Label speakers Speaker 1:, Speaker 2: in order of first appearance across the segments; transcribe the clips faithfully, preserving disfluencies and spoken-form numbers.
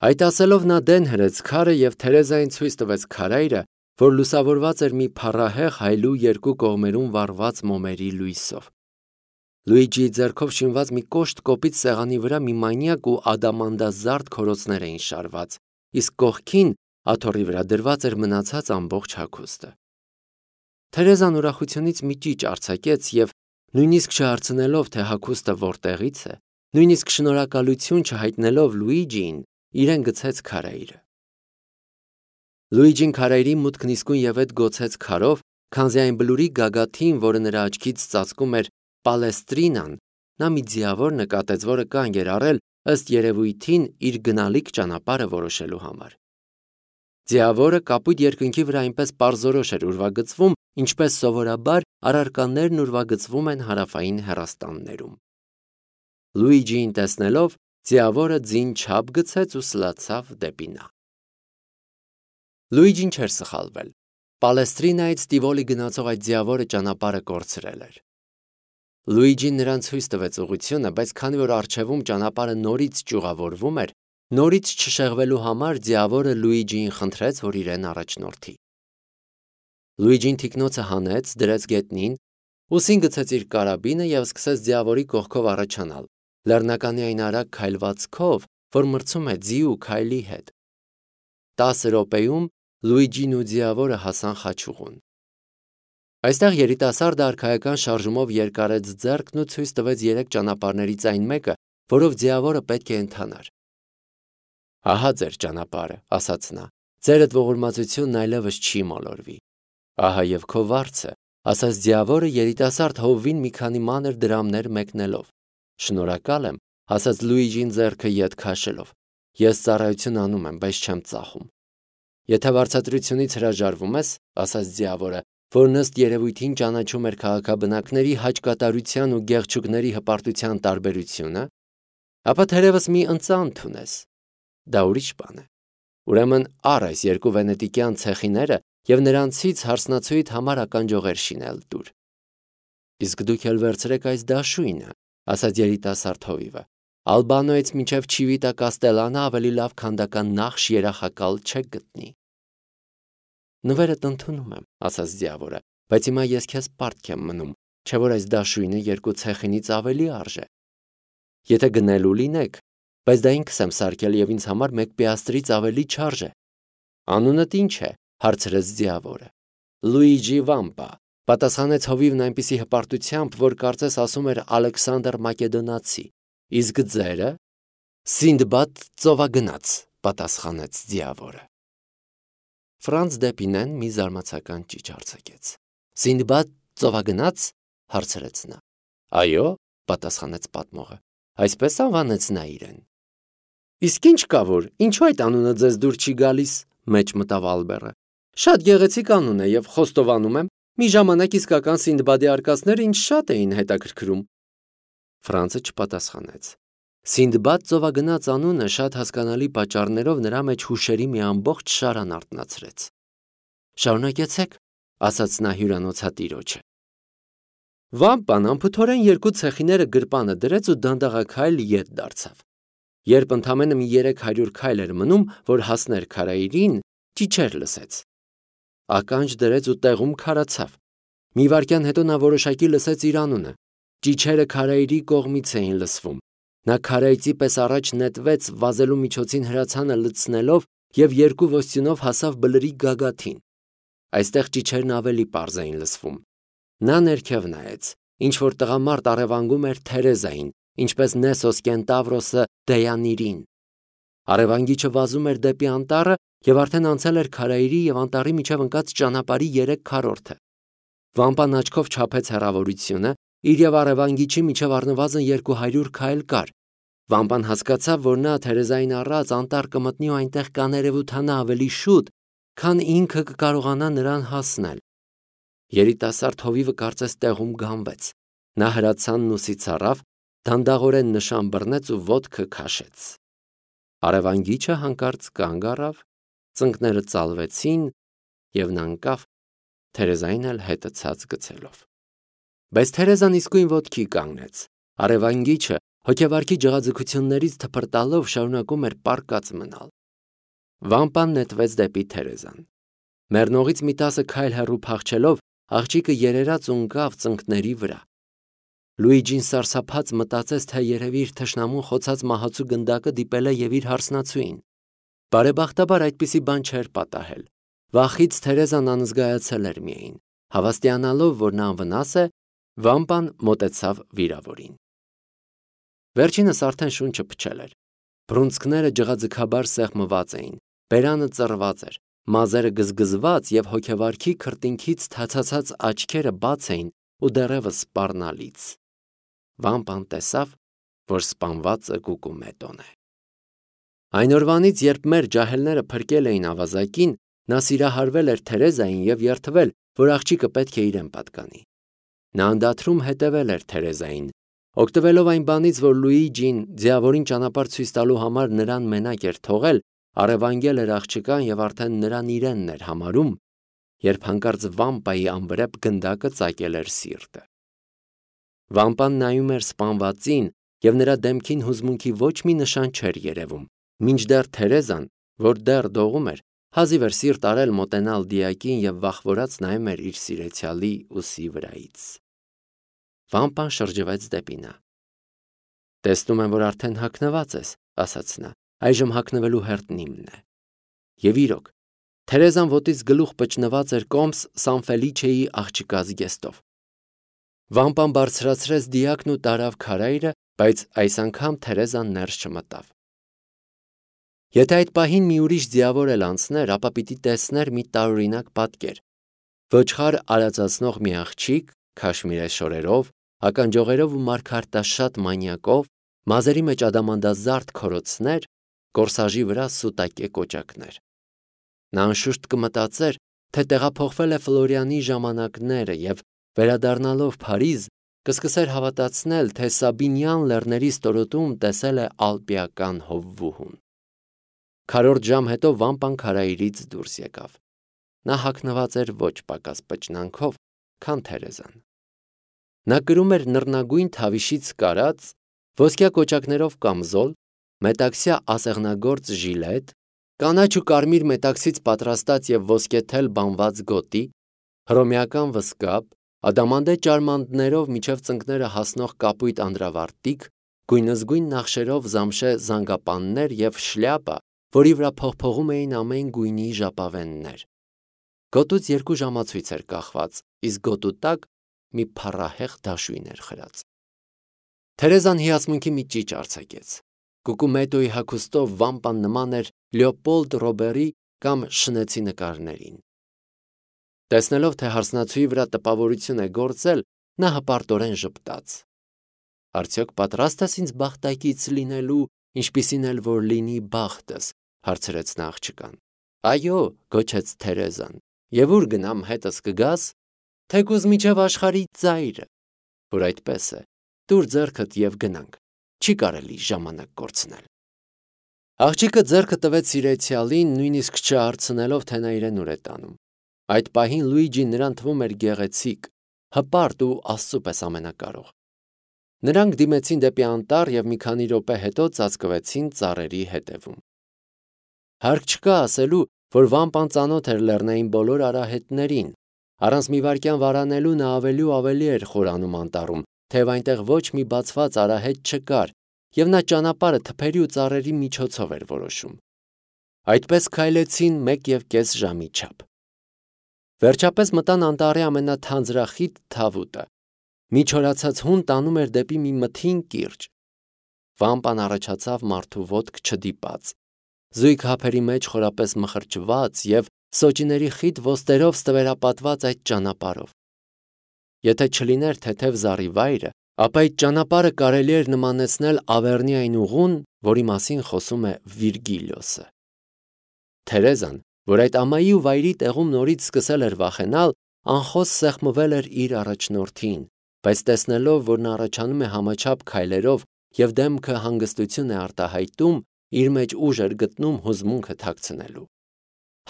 Speaker 1: Այդ ասելով նա դեն հրեց քարը և Թերեզային ցույց տվեց քարայրը, որ լուսավորված էր մի փառահեղ հայլու երկու կողմերում վառված մոմերի լույսով։ Լուիջիի ձեռքով շինված մի կոշտ կոպիտ սեղանի վրա մի մանյակ ու ադամանդազարդ քորոցներ էին շարված, իսկ կողքին աթոռի վրա դրված էր մնացած ամբողջ հագուստը։ Թերեզան ուրախությունից մի ճիչ արձակեց և, նույնիսկ չհարցնելով, թե հագուստը որտեղից է, նույնիսկ շնորհակալություն չհայտնելով Լուիջիին, իրեն գցեց քարայրը։ Լուիջին քարայրի մուտքն իսկույնևեթ գոցեց քարով, քանզի այն բլուրի գագաթին, որը նրա աչքից ծածկում էր Պալեստրինան, նա մի ձիավոր նկատեց, որը կանգ էր առել ըստ երևույթին իր գնալիք ճանապարհը որոշելու համար։ Ձիավորը կապույտ երկնքի վրա այնպես պարզորոշ էր ուրվագծվում, ինչպես սովորաբար առարկաներն ուրվագծվում են հարավային հեռաստաններում։ Լուիջիին տեսնելով, ձիավորը ձին չափ գցեց ու սլացավ դեպի նա։ Լուիջին չէր սխալվել։ Պալեստրինայից Տիվոլի գնացող այդ ձիավորը ճանապարհը կորցրել էր։ Լուիջին նրան ցույց տվեց ուղղությունը, բայց քանի որ առջևում ճանապարհը նորից ճյուղավորվում էր, նորից չշեղվելու համար ձիավորը Լուիջիին խնդրեց, որ իրեն առաջնորդի։ Լուիջին թիկնոցը հանեց, դրեց գետնին, ուսին գցեց իր կարաբինը և սկսեց ձիավորի կողքով առաջանալ, լեռնականի այն արագ քայլվածքով, որ մրցում է ձի ու քայլի հետ։ Տասը րոպեում Լուիջին ու ձիավորը հասան խաչուղուն։ Այստեղ երիտասարդը արքայական շարժումով երկարեց ձեռքն ու ցույց տվեց երեք ճանապարհներից այն մեկը, որով ձիավորը պետք է ընթանար։ Ահա ձեր ճանապարհը, ասաց նա, ձերդ ողորմածությունն այլևս չի մոլորվի։ Ահա և քո վարձը, ասաց ձիավորը երիտասարդ հովվին մի քանի մանր դրամներ մեկնելով։ Շնորհակալ եմ, ասաց Լուիջին ձեռքը ետ քաշելով։ Ես ծառայություն անում եմ, բայց չեմ ծախում։ Եթե վարձատրությունից հրաժարվում ես, ասաց ձիավորը, որն ըստ երևույթին ճանաչում էր քաղաքաբնակների հաճկատարության ու գեղչուկների հպարտության տարբերությունը, ապա թերևս մի ընծա ընդունես։ Դա ուրիշ բան է։ Ուրեմն առ այս երկու վենետիկյան ցեխիները և նրանցից հարսնացուիդ համար ականջողեր շինել տուր։ Իսկ դուք էլ վերցրեք այս դաշույնը, ասաց երիտասարդ հովիվը։ Ալբանոյից մինչև Չիվիտա Կաստելանա ավելի լավ քանդական նախշ երախակալ չեք գտնի։ Նվերդ ընդունում եմ, ասաց ձիավորը, բայց հիմա ես քեզ պարտք եմ մնում, չէ որ այս դաշույնը երկու ցեխինից ավելի արժե։ Եթե գնելու լինեք, բայց դա ինքս եմ սարքել և ինձ համար մեկ պիաստրից ավելի չարժե։ Անունդ ի՞նչ է, հարցրեց ձիավորը։ Լուիջի Վամպա, պատասխանեց հովիվն այնպիսի հպարտությամբ, որ կարծես ասում էր Ալեքսանդր Մակեդոնացի։ Իսկ ձերը։ Սինդբադ ծովագնաց, պատասխանեց ձիավորը։ Ֆրանց Դեպինեն մի զարմացական ճիչ արձակեց։ Սինդբադ ծովագնաց, հարցրեց նա։ Այո, պատասխանեց պատմողը։ Այսպես անվանեց նա իրեն։ Իսկ ինչ կա որ, ինչու այդ անունը ձեզ դուր չի գալիս, մեջ մտավ Ալբերը։ Շատ գեղեցիկ անուն է և խոստովանում եմ, մի ժամանակ իսկական Սինդբադի արկածները ինձ շատ էին հետաքրքրում։ Ֆրանցը չպատասխանեց։ Սինդբադ ծովագնաց անունը շատ հասկանալի պատճառներով նրա մեջ հուշերի մի ամբողջ շարան արթնացրեց։ Շարունակեցեք, ասաց նա հյուրանոցատիրոջը։ Վամպան անփութորեն երկու ցեխիները գրպանը դրեց ու դանդաղաքայլ ետ դարձավ։ Երբ ընդամենը մի երեք հարյուր քայլ էր մնում, որ հասներ քարայրին, ճիչեր լսեց։ Ականջ դրեց ու տեղում քարացավ։ Մի վայրկյան հետո նա որոշակի լսեց իր անունը։ Ճիչերը քարայրի կողմից էին լսվում։ Նա քարայծի պես առաջ նետվեց վազելու միջոցին հրացանը լցնելով և երկու ոստյունով հասավ բլրի գագաթին։ Այստեղ ճիչերն ավելի պարզ էին լսվում։ Նա ներքև նայեց, ինչ-որ տղամարդ առևանգում էր Թերեզային, ինչպես Նեսոս Կենտավրոսը Դեյանիրին։ Առևանգիչը վազում էր դեպի անտառը և արդեն անցել էր քարայրի և անտառի միջև ընկած ճանապարհի երեք քառորդը։ Վամպան աչքով չափեց հեռավորությունը, իր և առևանգիչի միջև առնվազն երկու հարյուր քայլ կար։ Վամպան հասկացավ, որ նա Թերեզային առած անտառ կմտնի ու այնտեղ կաներևութանա ավելի շուտ, քան ինքը կկարողանա նրան հասնել։ Երիտասարդ հովիվը կարծես տեղում գանվեց։ Նա հրացանն ուսից առավ, դանդաղորեն նշան բռնեց ու ոտքը քաշեց։ Առևանգիչը հանկարծ կանգ առավ, ծնկները ծալվեցին և նա ընկավ, Թերեզային էլ հետը ցած գցելով։ Բայց Թերեզան իսկույն ոտքի կանգնեց։ Առևանգիչը, հոգևարքի ջղաձգություններից թփրտալով շարունակում էր պառկած մնալ։ Վամպան նետվեց դեպի Թերեզան։ Մեռնողից մի տասը քայլ հեռու փախչելով, աղջիկը երերաց ու ընկավ ծնկների վրա։ Լուիջին սարսափած մտածեց, թե երևի իր թշնամուն խոցած մահացու գնդակը դիպել է և իր հարսնացուին։ Բարեբախտաբար այդպիսի բան չէր պատահել։ Վախից Թերեզան անզգայացել էր միայն։ Հավաստիանալով, որ նա անվնաս է, Վամպան մոտեցավ վիրավորին։ Վերջինս արդեն շունչը փչել էր։ Բռունցքները ջղաձգաբար սեղմված էին, բերանը ծռված էր, մազերը գզգզված և հոգևարքի քրտինքից թացացած աչքերը բաց էին ու դեռևս սպառնալից։ Վամպան տեսավ, որ սպանվածը Կուկումետոն է։ Այն օրվանից, երբ մեր ջահելները փրկել էին ավազակին, նա սիրահարվել էր Թերեզային և երդվել, որ աղջիկը պետք է իրեն պատկանի։ Նա անդադրում հետևել էր Թերեզային, օգտվելով այն բանից, որ Լուիջին ձիավորին ճանապարհ ցույց տալու համար նրան մենակ էր թողել, առևանգել էր աղջկան և արդեն նրան իրենն էր համարում, երբ հանկարծ Վամպայի անվրեպ գնդակը ծակել էր սիրտը։ Վամպան նայում էր սպանվածին, և նրա դեմքին հուզմունքի ոչ մի նշան չէր երևում, մինչդեռ Թերեզան, որ դեռ դողում էր, հազիվ էր սիրտ արել մոտենալ դիակին և վախվորած նայում էր իր սիրեցյալի ուսի վրայից։ Վամպան շրջվեց դեպի նա։ «Տեսնում եմ, որ արդեն հագնված ես», ասաց նա, «այժմ հագնվելու հերթն իմն է»։ Եվ իրոք, Թերեզան ոտից գլուխ պճնված էր կոմս Սան Ֆելիչեի աղջկա զգեստով։ Վամպան բարձրացրեց դիակն ու տարավ քարայրը, բայց այս անգամ Թերեզան ներս չմտավ։ Եթե այդ պահին մի ուրիշ ձիավոր էլ անցներ, ապա պիտի տեսներ մի տարօրինակ պատկեր։ Ոչխար արածացնող մի աղջիկ, քաշմիրե շորերով, ականջողերով ու մարգարտաշատ մանյակով, մազերի մեջ ադամանդազարդ քորոցներ, կորսաժի վրա սուտակե կոճակներ։ Նա անշուշտ կմտածեր, թե տեղափոխվել է Ֆլորիանի ժամանակները և, վերադառնալով Փարիզ, կսկսեր հավատացնել, թե Սաբինյան լեռների ստորոտում տեսել է ալպիական հովվուհուն։ Քառորդ ժամ հետո Վամպան քարայրից դուրս եկավ։ Նա հագնված էր ոչ պակաս պճնանքով, քան Թերեզան։ Նա կրում էր նռնագույն թավիշից կարած, ոսկյա կոճակներով կամզոլ, մետաքսյա ասեղնագործ ժիլետ, կանաչ ու կարմիր մետաքսից պատրաստած և ոսկեթել բանված գոտի, հռոմեական վսկապ, ադամանդե ճարմանդներով մինչև ծնկները հասնող կապույտ անդրավարտիք, գույնզգույն նախշերով զամշե զանգապաններ և շլյապա, որի վրա փողփողում էին ամեն գույնի ժապավեններ։ Գոտուց երկու ժամացույց էր կախված, իսկ գոտու տակ մի փառահեղ դաշույն էր խրած։ Թերեզան հիացմունքի մի ճիչ արձակեց։ Կուկումետոյի հագուստով Վամպան նման էր Լեոպոլդ Ռոբերի կամ Շնեցի նկարներին։ Տեսնելով, թե հարսնացուի վրա տպավորություն է գործել, նա հպարտորեն ժպտաց։ «Արդյոք պատրաստ ես ինձ բախտակից լինելու, ինչպիսին էլ որ լինի բախտս», հարցրեց նա աղջկան։ «Այո», գոչեց Թերեզան, «և ուր գնամ, հետս կգաս»։ «Թեկուզ մինչև աշխարհի ծայրը»։ «Որ այդպես է, տուր ձեռքդ և գնանք, չի կարելի ժամանակ կորցնել»։ Աղջիկը ձեռքը տվեց սիրեցյալին, նույնիսկ չհարցնելով, թե նա իրեն ուր է տանում։ Այդ պահին Լուիջին նրան թվում էր գեղեցիկ, հպարտ ու Աստծու պես ամենակարող։ Նրանք դիմեցին դեպի անտառ և մի քանի րոպե հետո ծածկվեցին ծառերի հետևում։ Հարկ չկա ասելու, որ Վամպան ծանոթ էր լեռնային բոլոր արահետներին։ Առանց մի վայրկյան վարանելու նա ավելի ու ավելի էր խորանում անտառում, թեև այնտեղ ոչ մի բացված արահետ չկար, և նա ճանապարհը թփերի ու ծառերի միջոցով էր որոշում։ Այդպես քայլեցին մեկ և կես ժամի չափ։ Վերջապես մտան անտառի ամենաթանձրախիտ թավուտը։ Մի չորացած հուն տանում էր դեպի մի մթին կիրճ։ Վամպան առաջացավ մարդու ոտք չդիպած, զույգ հափերի մեջ խորապես մխրճված և սոճիների խիտ ոստերով ստվերապատված այդ ճանապարհով։ Եթե չլիներ թեթև զառիվայրը, ապա այդ ճանապարհը կարելի էր նմանեցնել Ավեռնի այն ուղուն, որի մասին խոսում է Վիրգիլիոսը։ Թերեզան, որ այդ ամայի ու վայրի տեղում նորից սկսել էր վախենալ, անխոս սեղմվել էր իր առաջնորդին, բայց տեսնելով, որ նա առաջանում է համաչափ քայլերով և դեմքը հանգստություն է արտահայտում, իր մեջ ուժ էր գտնում հուզմունքը թաքցնելու։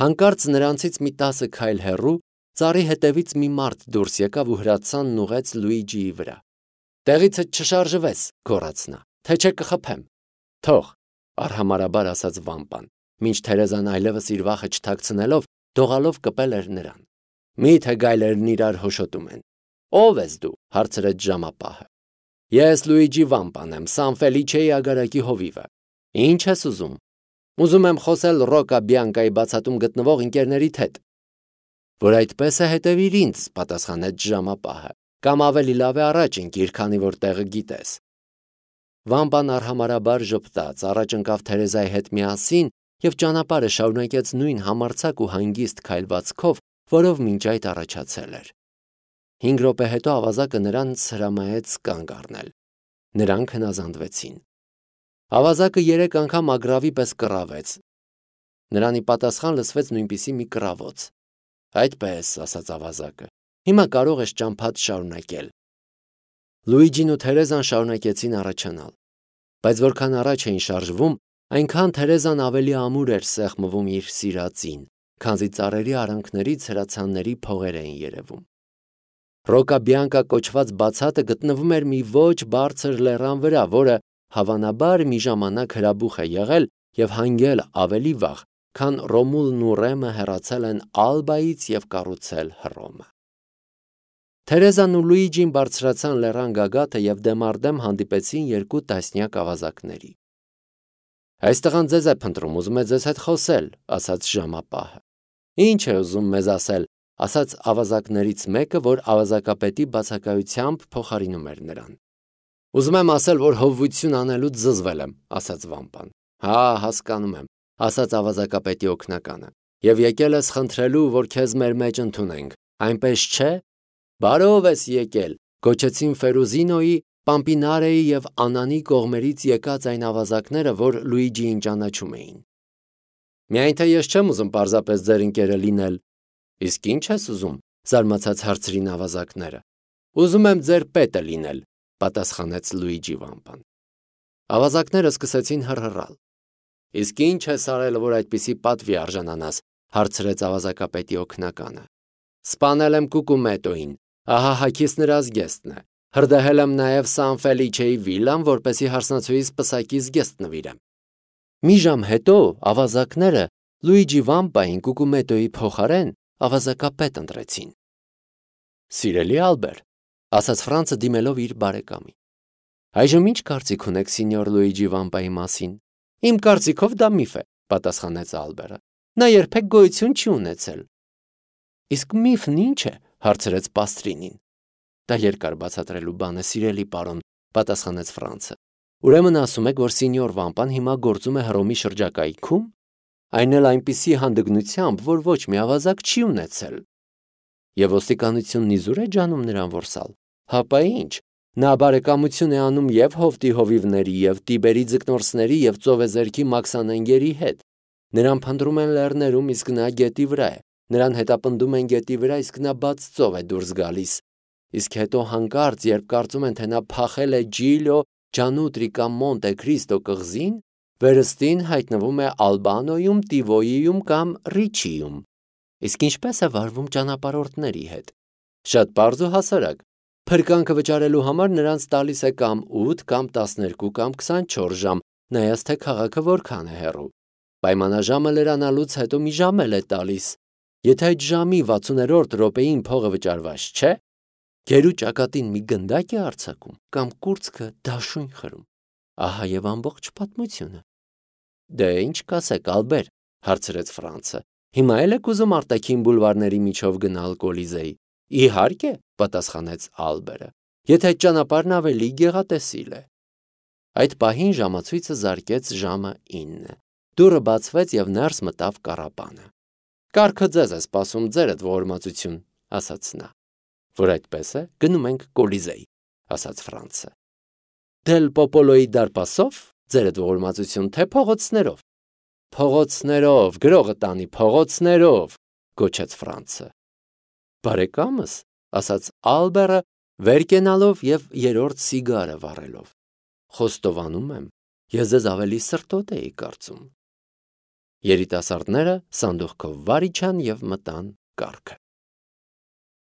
Speaker 1: Հանկարծ նրանցից մի տասը քայլ հեռու ծառի հետևից մի մարդ դուրս եկավ ու հրացանն ուղղեց Լուիջիի վրա։ «Տեղիցդ չշարժվես», գոռաց նա, թե չէ կխփեմ։ Թող, արհամարաբար ասաց վամպան, մինչ Թերեզան այլևս իր վախը չթաքցնելով դողալով կպել էր նրան։ Մի՞թե գայլերն իրար հոշոտում են։ Ո՞վ ես դու, հարցրեց ժամապահը։ Ես Լուիջի վամպան եմ, Սան Ֆելիչեի ագարակի հովիվը։ Ինչ ես ուզում։ Ուզում եմ խոսել Ռոկա Բիանկայի բացատում գտնվող ընկերներիդ հետ։ Որ այդպես է, հետևիր ինձ, պատասխանեց ժամապահը, կամ ավելի լավ է առաջ ընկիր, քանի որ տեղը գիտես։ Վամպան արհամարաբար ժպտաց, առաջ ընկավ Թերեզայի հետ միասին և ճանապարհը շարունակեց նույն համարձակ ու հանգիստ քայլվածքով, որով մինչ այդ առաջացել էր։ Հինգ րոպե հետո ավազակը նրանց հրամայեց կանգ առնել։ Նրանք հնազանդվեցին։ Ավազակը երեք անգամ ագռավի պես կռավեց։ Նրան ի պատասխան լսվեց նույնպիսի մի կռավոց։ Այդպես, ասաց ավազակը, հիմա կարող ես ճամփադ շարունակել։ Լուիջին ու Թերեզան շարունակեցին առաջանալ, բայց որքան առաջ էին շարժվում, այնքան Թերեզան ավելի ամուր էր սեղմվում իր սիրածին, քանզի ծառերի արանքներից հրացանների փողեր էին երևում։ Ռոկա Բիանկա կոչված բացատը գտնվում էր մի ոչ բարձր լեռան վրա, որը հավանաբար մի ժամանակ հրաբուխ է եղել և հանգել ավելի վաղ, քան Ռոմուլն ու Ռեմը հեռացել են Ալբայից և կառուցել Հռոմը։ Թերեզան ու Լուիջին բարձրացան լեռան գագաթը և դեմառդեմ հանդիպեցին երկու տասնյակ ավազակների։ Այս տղան ձեզ է փնտրում, ուզում է ձեզ հետ խոսել, ասաց ժամապահը։ Ինչ է ուզում մեզ ասել, ասաց ավազակներից մեկը, որ ավազակապետի բացակայությամբ փոխարինում էր նրան։ Ուզում եմ ասել, որ հովվություն անելուց զզվել եմ, ասաց վամպան։ Հա, հասկանում եմ, ասաց ավազակապետի օգնականը, և եկել ես խնդրելու, որ քեզ մեր մեջ ընդունենք, այնպես չէ։ Բարով ես եկել, գոչեցին Ֆերուզինոյի, Պամպինարեի և Անանի կողմերից եկած այն ավազակները, որ Լուիջիին ճանաչում էին։ Միայն թե ես չեմ ուզում պարզապես ձեր ընկերը լինել։ Իսկ ինչ ես ուզում, զարմացած հարցրին ավազակները։ Ուզում եմ ձեր պետը լինել, պատասխանեց Լուիջի վամպան։ Ավազակները սկսեցին հռհռալ։ Իսկ ինչ ես արել, որ այդպիսի պատվի արժանանաս, հարցրեց ավազակապետի օգնականը։ Սպանել եմ Կուկումետոին, ահա հագիս նրա զգեստն է։ Հրդեհել եմ նաև Սան Ֆելիչեի վիլան, որպեսզի հարսնացուիս պսակի զգեստ նվիրեմ։ Մի ժամ հետո ավազակները Լուիջի վամպային Կուկումետոյի փոխարեն ավազակապետ ընտրեցին։ Սիրելի Ալբեր, ասաց Ֆրանցը դիմելով իր բարեկամին։ Այժմ ինչ կարծիք ունեք սինյոր Լուիջի վամպայի մասին։ Իմ կարծիքով դա միֆ է, պատասխանեց Ալբերը։ Նա երբեք գոյություն չի ունեցել։ Իսկ միֆն ինչ է, հարցրեց Պաստրինին։ Դա երկար բացատրելու բան է, սիրելի պարոն, պատասխանեց Ֆրանցը։ Ուրեմն ասում եք, որ սինյոր վամպան հիմա գործում է Հռոմի շրջակայքում, այն էլ այնպիսի հանդգնությամբ, որ ոչ մի ավազակ չի ունեցել։ Եվ ոստիկանությունն իզուր է ջանում նրան որսալ։ Հապա ինչ, նա բարեկամություն է անում և Հովտի հովիվների, և Տիբերի ձկնորսների, և ծովեզերքի մաքսանենգերի հետ։ Նրան փնտրում են լեռներում, իսկ նա գետի վրա է։ Նրան հետապնդում են գետի վրա, իսկ նա բաց ծով է դուրս գալիս։ Իսկ հետո հանկարծ, երբ կարծում են, թե նա փախել է Ջիլիո Ջանուտրի կամ Մոնտե Քրիստո կղզին, վերստին հայտնվում է Ալբանոյում, Տիվոյիում կամ Ռիչիում։ Իսկ ինչպես է վարվում ճանապարհորդների հետ։ Շատ պարզ ու հասարակ։ Փրկանքը վճարելու համար նրանց տալիս է կամ ութ, կամ տասներկու, կամ քսանչորս ժամ, նայած թե քաղաքը որքան է հեռու։ Պայմանաժամը լրանալուց հետո մի ժամ էլ է տալիս։ Եթե այդ ժամի վաթսուներորդ րոպեին փողը վճարված չէ, գերու ճակատին մի գնդակ է արձակում կամ կուրծքը դաշույն խրում։ Ահա եւ ամբողջ պատմությունը։ Դե ինչ կասեք, Ալբեր, հարցրեց Ֆրանցը։ Հիմա էլ եք ուզում արտաքին բուլվարների միջով գնալ Կոլիզեի։ Իհարկե, պատասխանեց Ալբերը, եթե այդ ճանապարհն ավելի գեղատեսիլ է։ Այդ պահին ժամացույցը զարկեց ժամը ինը։ Դուռը բացվեց եւ ներս մտավ կառապանը։ Կառքը ձեզ է սպասում, ձերդ ողորմածություն, ասաց նա։ Որ այդպես է, գնում ենք Կոլիզեի, ասաց Ֆրանցը։ Դել Պոպոլոյի դարպասով, ձերդ ողորմածություն, թե փողոցներով։ Փողոցներով, գրողը տանի, փողոցներով, գոչեց Ֆրանցը։ Բարեկամս, ասաց Ալբերը, վեր կենալով եւ երրորդ սիգարը վառելով։ Խոստովանում եմ, ես ձեզ ավելի սրտոտ էի կարծում։ Երիտասարդները սանդուղքով վար իջան եւ մտան կառքը։